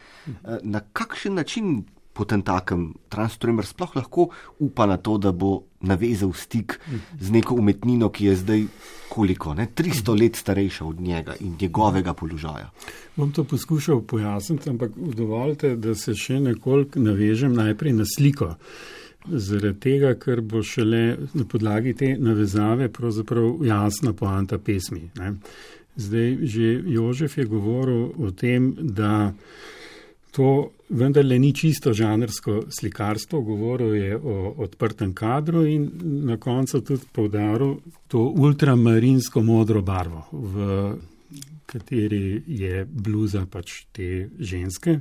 [SPEAKER 3] Na kakšen način potentakem Tranströmer sploh lahko upa na to, da bo navezal stik z neko umetnino, ki je zdaj koliko, 300 let starejša od njega in njegovega položaja?
[SPEAKER 4] Bom to poskušal pojasniti, ampak dovolite, da se še nekoliko navežem najprej na sliko. Zaradi tega, ker bo šele na podlagi te navezave pravzaprav jasna poanta pesmi. Ne? Zdaj, že Jožef je govoril o tem, da to vendarle ni čisto žanrsko slikarstvo, govoril je o odprtem kadru in na koncu tudi poudaril to ultramarinsko modro barvo, v kateri je bluza pač te ženske.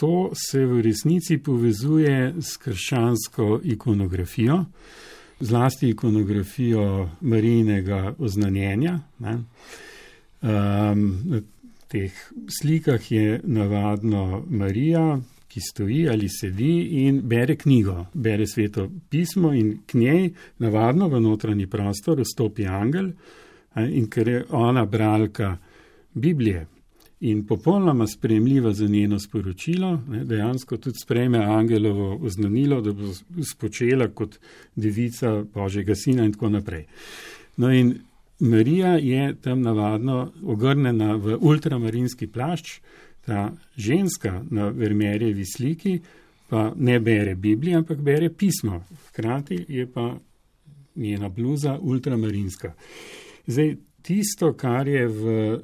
[SPEAKER 4] To se v resnici povezuje s krščansko ikonografijo, zlasti ikonografijo Marijinega oznanjenja. Na teh slikah je navadno Marija, ki stoji ali sedi in bere knjigo, bere Sveto pismo in k njej navadno v notranji prostor vstopi angel, in ker je ona bralka Biblije in popolnoma sprejemljiva za njeno sporočilo, dejansko tudi sprejme angelovo oznanilo, da bo spočela kot devica Božjega sina in tako naprej. No in Marija je tam navadno ogrnjena v ultramarinski plašč, ta ženska na Vermeerjevi sliki pa ne bere Biblije, ampak bere pismo. Hkrati je pa njena bluza ultramarinska. Zdaj, tisto, kar je v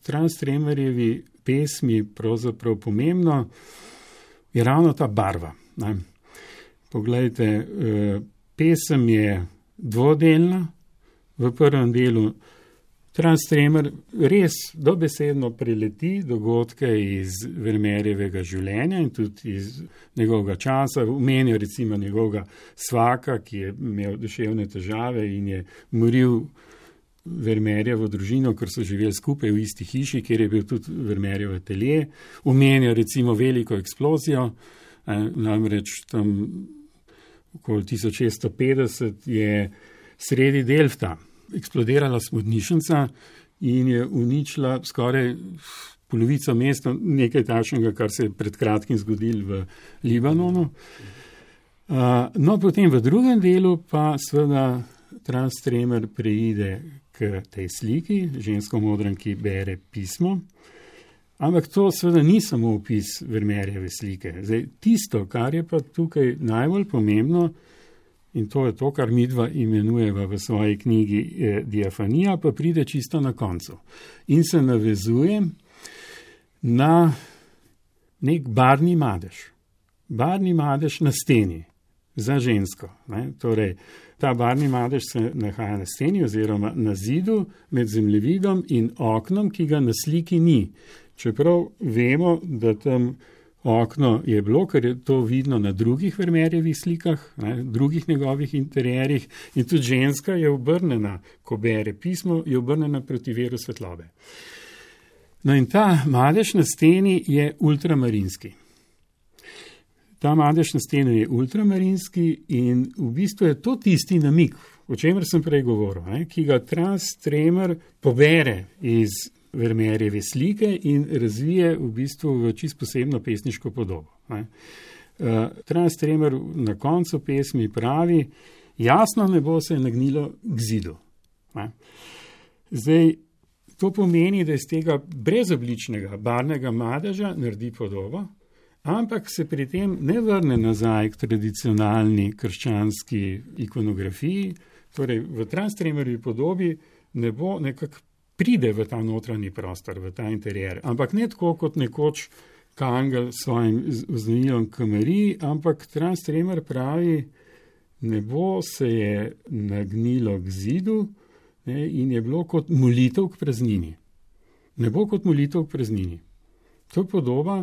[SPEAKER 4] Tranströmerjevi pesmi pravzaprav pomembno, je ravno ta barva. Poglejte, pesem je dvodelna. V prvem delu Tranströmer res dobesedno preleti dogodke iz Vermeerjevega življenja in tudi iz njegovega časa. Omenijo recimo njegovega svaka, ki je imel duševne težave in je moril Vermeerjevo družino, ker so živeli skupaj v isti hiši, kjer je bil tudi Vermeerjev atelje. Omenijo recimo veliko eksplozijo, namreč tam okoli 1650 je sredi Delfta eksplodirala smodnišnica in je uničila skoraj polovico mesta, nekaj takšnega, kar se je pred kratkim zgodilo v Libanonu. No, potem v drugem delu pa seveda Tranströmer preide k tej sliki, žensko modran, ki bere pismo. Ampak to seveda ni samo opis Vermeerjeve slike. Zdaj, tisto, kar je pa tukaj najbolj pomembno, in to je to, kar midva imenujeva v svoji knjigi Diafanija, pa pride čisto na koncu. In se navezuje na nek barvni madež. Barvni madež na steni za žensko. Torej, ta barvni madež se nahaja na steni oziroma na zidu med zemljevidom in oknom, ki ga na sliki ni. Čeprav vemo, da tam okno je bilo, ker je to vidno na drugih Vermeerjevih slikah, drugih njegovih interjerjih, in tudi ženska je obrnjena, ko bere pismo, je obrnjena proti veru svetlobe. No in ta madež na steni je ultramarinski. Ta madež na steni je ultramarinski in v bistvu je to tisti namig, o čemer sem prej govoril, ki ga Tranströmer pobere iz Vermeerjeve slike in razvije v bistvu v čisto posebno pesniško podobo. Tranströmer na koncu pesmi pravi, jasno nebo se je nagnilo k zidu. Zdaj, to pomeni, da iz tega brezobličnega barvnega madeža naredi podobo, ampak se pri tem ne vrne nazaj k tradicionalni krščanski ikonografiji, torej v Tranströmerjevi podobi nebo nekako pride v ta notranji prostor, v ta interjer, ampak ne tako kot nekoč Kangel s svojim oznanilom k Mariji, ampak Tranströmer pravi, nebo se je nagnilo k zidu in je bilo kot molitev k praznini. Nebo kot molitev k praznini. To je podoba,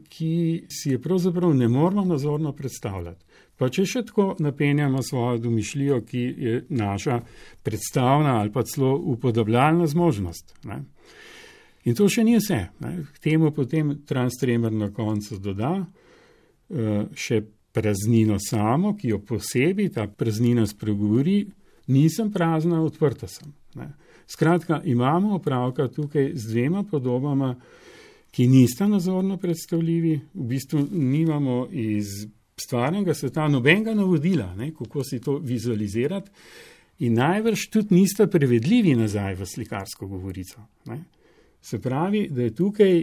[SPEAKER 4] ki si je pravzaprav ne moramo nazorno predstavljati. Pa če še tako napenjamo svojo domišljijo, ki je naša predstavna ali pa celo upodabljalna zmožnost. In to še ni vse. K temu potem Tranströmer na koncu doda še praznino samo, ki jo posebej ta praznina spregovori, nisem prazna, odprta sem. Ne. Skratka, imamo opravka tukaj z dvema podobama, ki nista nazorno predstavljivi, v bistvu nimamo iz stvarnega sveta nobenega navodila, ne, kako si to vizualizirati, in najbrž tudi nista prevedljivi nazaj v slikarsko govorico. Ne. Se pravi, da je tukaj,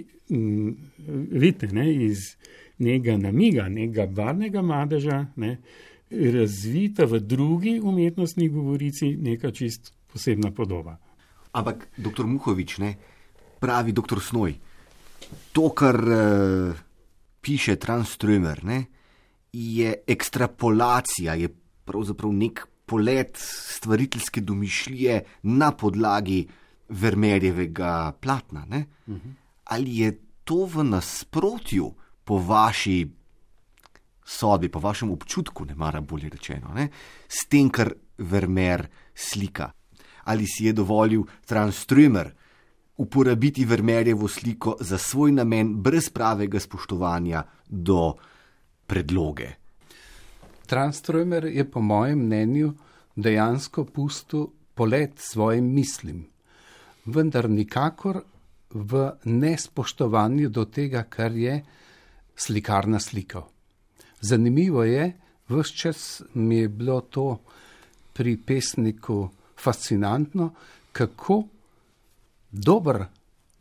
[SPEAKER 4] vidite, ne, iz nekega namiga, nekega barvnega madeža, ne, razvita v drugi umetnostni govorici neka čist posebna podoba.
[SPEAKER 3] Ampak, doktor Muhovič, ne, pravi doktor Snoj, to, kar piše Tranströmer, ne, je ekstrapolacija, je pravzaprav nek polet stvariteljske domišljije na podlagi Vermeerjevega platna. Ne? Ali je to v nasprotju po vaši sodbi, po vašem občutku, ne mara bolje rečeno, ne, s tem, kar Vermeer slika? Ali si je dovolil Tranströmer uporabiti Vermeerjevo sliko za svoj namen brez pravega spoštovanja do predloge?
[SPEAKER 2] Tranströmer je po mojem mnenju dejansko pustil polet svojim mislim, vendar nikakor v nespoštovanju do tega, kar je slikar naslikal. Zanimivo je, ves čas mi je bilo to pri pesniku fascinantno, kako dober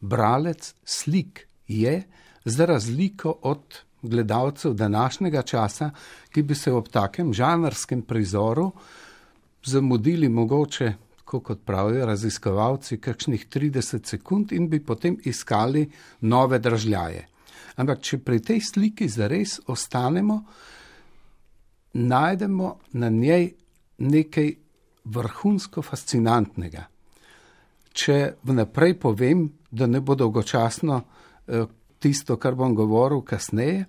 [SPEAKER 2] bralec slik je, za razliko od gledalcev današnjega časa, ki bi se ob takem žanrskem prizoru zamudili mogoče, kot pravijo raziskovalci, kakšnih 30 sekund in bi potem iskali nove dražljaje. Ampak če pri tej sliki zares ostanemo, najdemo na njej nekaj vrhunsko fascinantnega. Če vnaprej povem, da ne bo dolgočasno tisto, kar bom govoril kasneje,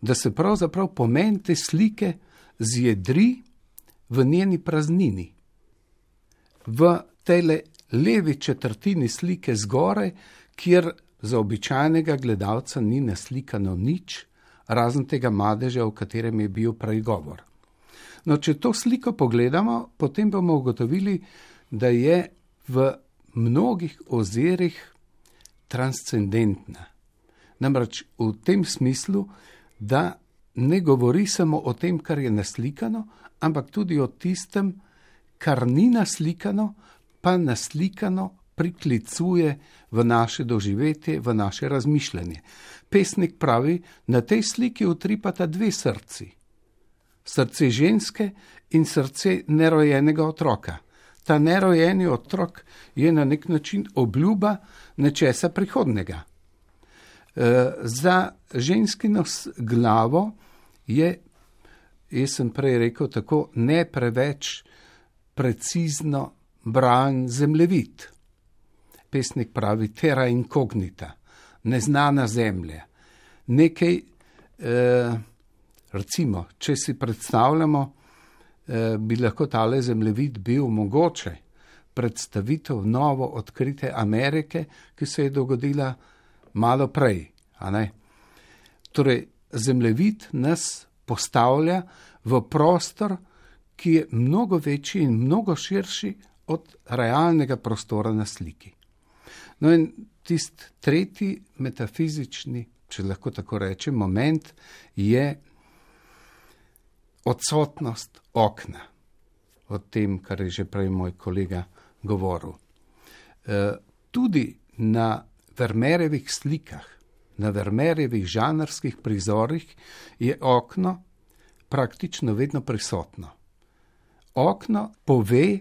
[SPEAKER 2] da se pravzaprav pomen te slike zjedri v njeni praznini. V tejle levi četrtini slike zgoraj, kjer za običajnega gledalca ni naslikano nič, razen tega madeža, o katerem je bil prej govor. No, če to sliko pogledamo, potem bomo ugotovili, da je v mnogih ozirih transcendentna. Namreč v tem smislu, da ne govori samo o tem, kar je naslikano, ampak tudi o tistem, kar ni naslikano, pa naslikano priklicuje v naše doživetje, v naše razmišljanje. Pesnik pravi, na tej sliki utripata dve srci. Srce ženske in srce nerojenega otroka. Ta nerojeni otrok je na nek način obljuba nečesa prihodnega. Za ženskino glavo je, jaz sem prej rekel tako, ne preveč precizno bran zemljevid. Pesnik pravi terra incognita, neznana zemlja. Nekaj, recimo, če si predstavljamo, bi lahko tale zemljevid bil mogoče predstavitev novo odkrite Amerike, ki se je dogodila malo prej. A ne? Torej, zemljevid nas postavlja v prostor, ki je mnogo večji in mnogo širši od realnega prostora na sliki. No in tisti tretji metafizični, če lahko tako rečem, moment je odsotnost okna. O tem, kar je že prej moj kolega govoril. Tudi na Vermeerjevih slikah, na Vermeerjevih žanrskih prizorih je okno praktično vedno prisotno. Okno pove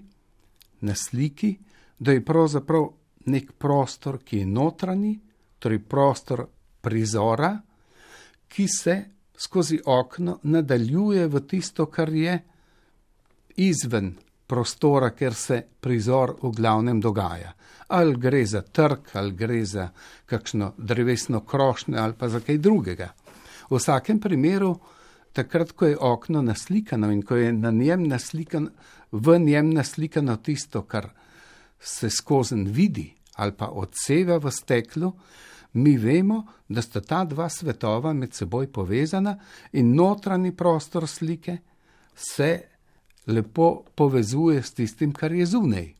[SPEAKER 2] na sliki, da je pravzaprav nek prostor, ki je notranji, torej prostor prizora, ki se skozi okno nadaljuje v tisto, kar je izven prostora, ker se prizor v glavnem dogaja. Ali gre za trg, ali gre za kakšno drevesno krošnjo, ali pa za kaj drugega. V vsakem primeru, takrat, ko je okno naslikano in ko je na njem naslikano, v njem naslikano tisto, kar se skozen vidi ali pa odseva v steklu, Mi vemo, da sta ta dva svetova med seboj povezana in notranji prostor slike se lepo povezuje s tistim, kar je zunaj.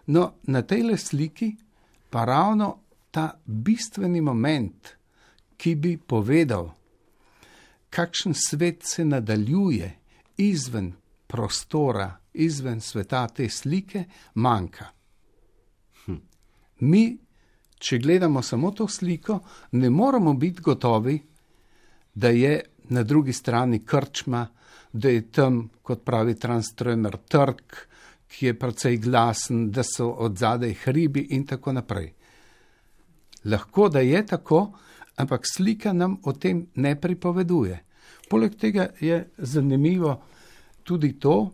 [SPEAKER 2] No, na tejle sliki pa ravno ta bistveni moment, ki bi povedal, kakšen svet se nadaljuje izven prostora, izven sveta te slike, manjka. Mi, če gledamo samo to sliko, ne moramo biti gotovi, da je na drugi strani krčma, da je tam, kot pravi Tranströmer, trg, ki je precej glasen, da so odzadaj hribi in tako naprej. Lahko, da je tako, ampak slika nam o tem ne pripoveduje. Poleg tega je zanimivo tudi to,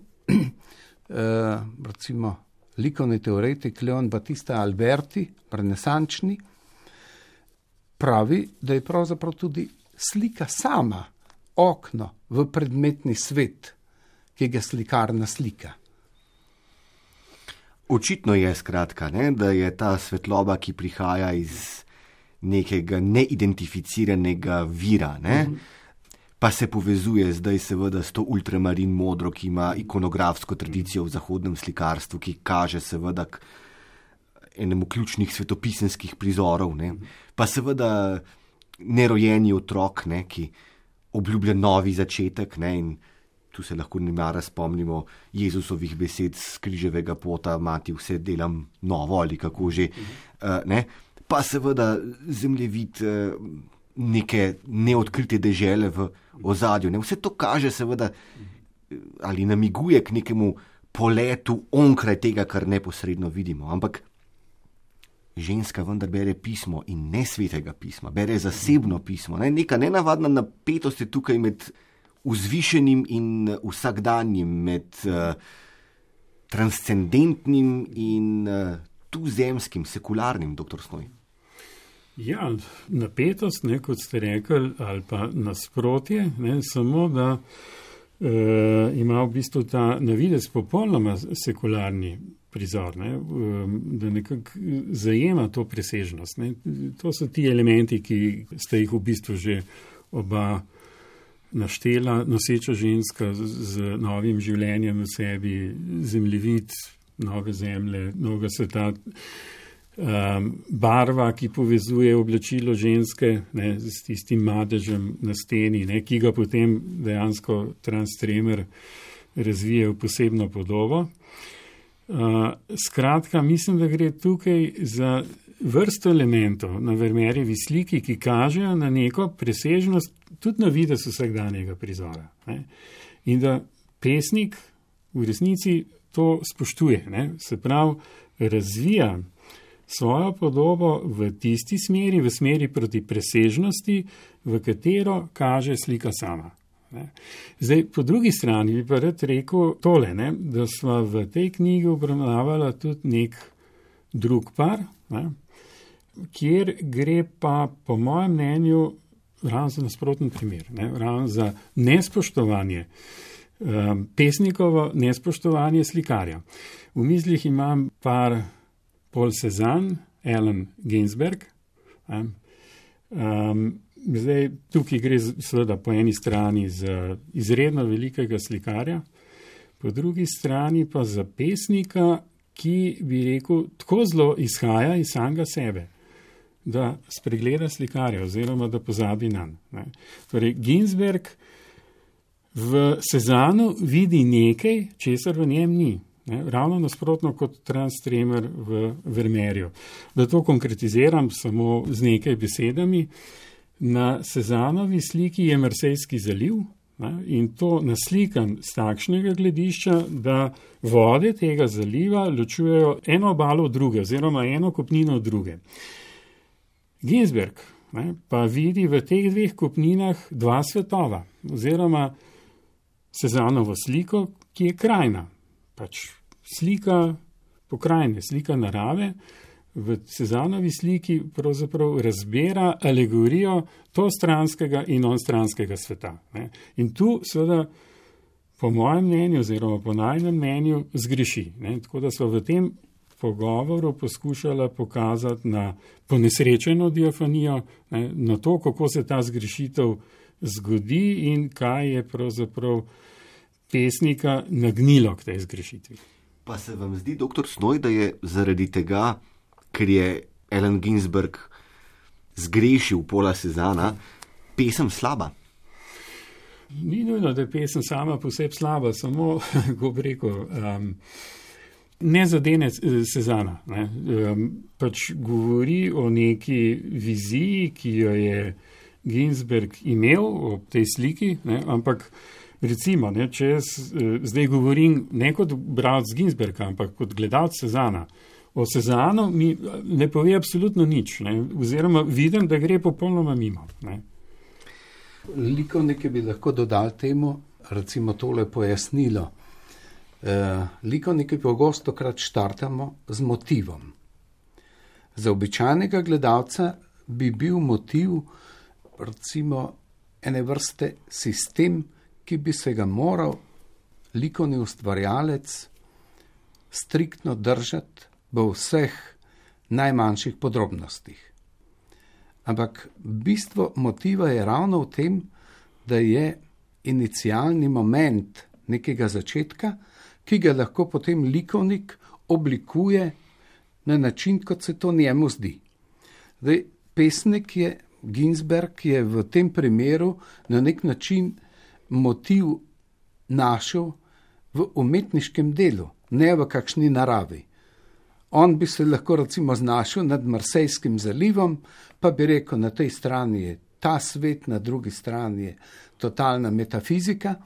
[SPEAKER 2] recimo likovni teoretik Leon Battista Alberti, renesančni, pravi, da je pravzaprav tudi slika sama okno v predmetni svet, ki ga slikarna slika.
[SPEAKER 3] Očitno je skratka, da je ta svetloba, ki prihaja iz nekega neidentificiranega vira, pa se povezuje zdaj seveda s to ultramarin modro, ki ima ikonografsko tradicijo v zahodnem slikarstvu, ki kaže seveda k enemu ključnih svetopisenskih prizorov, pa seveda nerojeni otrok, ki obljublja novi začetek, in tu se lahko nemara spomnimo Jezusovih besed z križevega pota, mati, vse delam novo ali kako že, pa seveda zemljevid neke neodkrite dežele v ozadju. Vse to kaže seveda ali namiguje k nekemu poletu onkraj tega, kar neposredno vidimo. Ampak ženska vendar bere pismo in ne svetega pisma, bere zasebno pismo. Neka nenavadna napetost je tukaj med vzvišenim in vsakdanjim, med transcendentnim in tuzemskim, sekularnim, dr. Snoj.
[SPEAKER 4] Ja, napetost, kot ste rekli, ali pa nasprotje, samo da ima v bistvu ta navidez popolnoma sekularni prizor, da nekako zajema to presežnost. To so ti elementi, ki ste jih v bistvu že oba naštela, noseča ženska z novim življenjem v sebi, zemljevid, nove zemlje, novega sveta, barva, ki povezuje oblačilo ženske s tistim madežem na steni, ki ga potem dejansko Tranströmer razvije v posebno podobo. Skratka, mislim, da gre tukaj za vrsto elementov na Vermeerjevi sliki, ki kažejo na neko presežnost tudi na videz vsakdanjega prizora. In da pesnik v resnici to spoštuje. Se pravi, razvija svojo podobo v tisti smeri, v smeri proti presežnosti, v katero kaže slika sama. Zdaj, po drugi strani bi pa rad rekel tole, da sva v tej knjigi obravnavala tudi nek drug par, kjer gre pa po mojem mnenju ravno za nasproten primer, ravno za nespoštovanje, pesnikovo nespoštovanje slikarja. V mislih imam par Paul Cézanne, Allen Ginsberg. Zdaj, tukaj gre seveda po eni strani za izredno velikega slikarja, po drugi strani pa za pesnika, ki bi rekel, tako zelo izhaja iz samega sebe, da spregleda slikarja oziroma da pozabi nanj. Torej, Ginsberg v Cézannu vidi nekaj, česar v njem ni. Ravno nasprotno kot Tranströmer v Vermeerju. Da to konkretiziram samo z nekaj besedami, na Cézannovi sliki je Marsejski zaliv in to naslikan z takšnega gledišča, da vode tega zaliva ločujejo eno obalo od druge oziroma eno kopnino od druge. Ginsberg pa vidi v teh dveh kopninah dva svetova oziroma Cézannovo sliko, ki je krajna. Pač slika pokrajine, slika narave, v Cézannovi sliki pravzaprav razbira alegorijo to stranskega in onstranskega sveta. In tu seveda po mojem mnenju oziroma po najnem mnenju zgreši. Tako da so v tem pogovoru poskušala pokazati na ponesrečeno diafanijo, na to, kako se ta zgrešitev zgodi in kaj je pravzaprav pesnika nagnilo k tej zgrešitvi.
[SPEAKER 3] Pa se vam zdi, doktor Snoj, da je zaradi tega, ker je Allen Ginsberg zgrešil Paula Cézanna, pesem slaba?
[SPEAKER 4] Ni nujno, da je pesem sama posebej slaba, samo, kako bi rekel, ne zadene Cézanna. Pač govori o neki viziji, ki jo je Ginsberg imel ob tej sliki, ampak recimo, če jaz zdaj govorim ne kot bralec Ginsberga, ampak kot gledalec Cézanna, o Cézannu mi ne pove absolutno nič, oziroma vidim, da gre popolnoma mimo.
[SPEAKER 2] Likovniki bi lahko dodali temu, recimo tole pojasnilo. Likovniki pogostokrat štartamo z motivom. Za običajnega gledalca bi bil motiv recimo ene vrste sistem, ki bi se ga moral likovni ustvarjalec striktno držati v vseh najmanjših podrobnostih. Ampak bistvo motiva je ravno v tem, da je inicialni moment nekega začetka, ki ga lahko potem likovnik oblikuje na način, kot se to njemu zdi. Zdaj, pesnik je, Ginsberg je v tem primeru na nek način motiv našel v umetniškem delu, ne v kakšni naravi. On bi se lahko recimo znašel nad Marsejskim zalivom, pa bi rekel, na tej strani je ta svet, na drugi strani je totalna metafizika,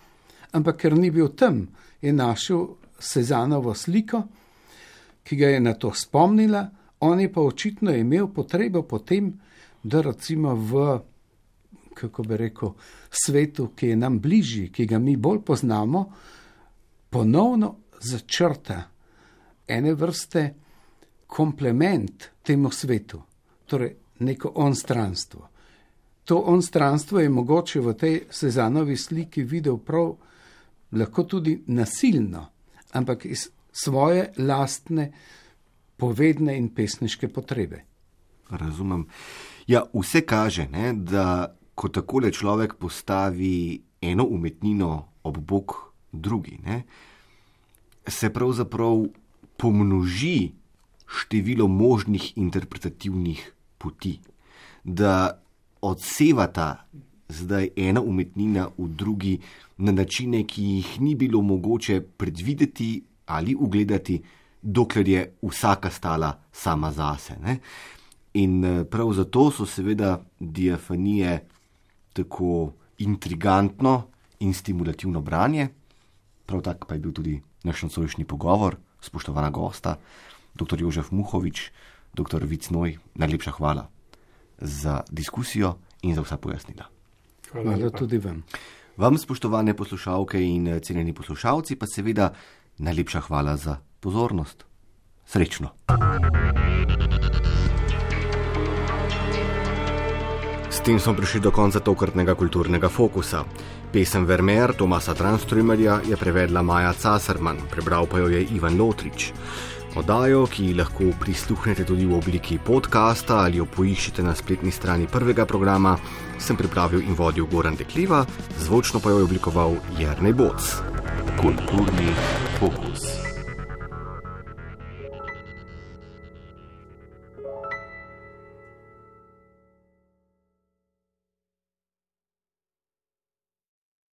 [SPEAKER 2] ampak ker ni bil tam, je našel Cézannovo sliko, ki ga je na to spomnila, on je pa očitno imel potrebo potem, da recimo v, kako bi rekel, svetu, ki je nam bližji, ki ga mi bolj poznamo, ponovno začrta ene vrste komplement temu svetu, torej neko onstranstvo. To onstranstvo je mogoče v tej Cézannovi sliki videl prav lahko tudi nasilno, ampak iz svoje lastne povedne in pesniške potrebe.
[SPEAKER 3] Razumem. Ja, vse kaže, da ko takole človek postavi eno umetnino ob bok drugi, se pravzaprav pomnoži število možnih interpretativnih poti, da odsevata zdaj ena umetnina v drugi na načine, ki jih ni bilo mogoče predvideti ali ugledati, dokler je vsaka stala sama zase. In prav zato so seveda diafanije tako intrigantno in stimulativno branje. Prav tak pa je bil tudi naš nocojšnji pogovor, spoštovana gosta, dr. Jožef Muhovič, dr. Vid Snoj, najlepša hvala za diskusijo in za vsa pojasnila.
[SPEAKER 2] Hvala tudi vam.
[SPEAKER 3] Vam, spoštovane poslušalke in cenjeni poslušalci, pa seveda najlepša hvala za pozornost. Srečno. S tem smo prišli do konca tokratnega kulturnega fokusa. Pesem Vermeer Tomasa Tranströmerja je prevedla Maja Casarman, prebral pa jo je Ivan Lotrič. Oddajo, ki lahko prisluhnete tudi v obliki podcasta ali jo poiščete na spletni strani prvega programa, sem pripravil in vodil Goran Dekliva, zvočno pa jo je oblikoval Jernej Boc. Kulturni fokus.